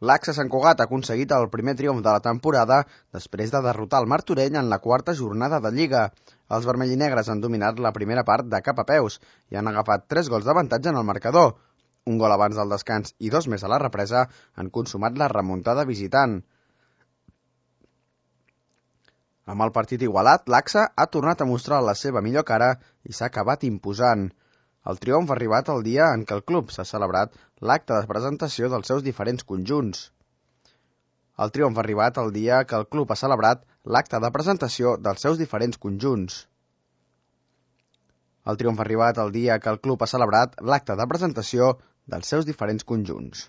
L'Axa Sant Cugat ha aconseguit el primer triomf de la temporada després de derrotar el Martorell en la quarta jornada de Lliga. Els vermellinegres han dominat la primera part de cap a peus i han agafat 3 gols d'avantatge en el marcador. Un gol abans del descans i 2 més a la represa han consumat la remuntada visitant. Amb el partit igualat, l'Axa ha tornat a mostrar la seva millor cara i s'ha acabat imposant. El triomf ha arribat el dia en què el club s'ha celebrat l'acte de presentació dels seus diferents conjunts. El triomf ha arribat el dia que el club ha celebrat l'acte de presentació dels seus diferents conjunts. El triomf ha arribat el dia que el club ha celebrat l'acte de presentació dels seus diferents conjunts.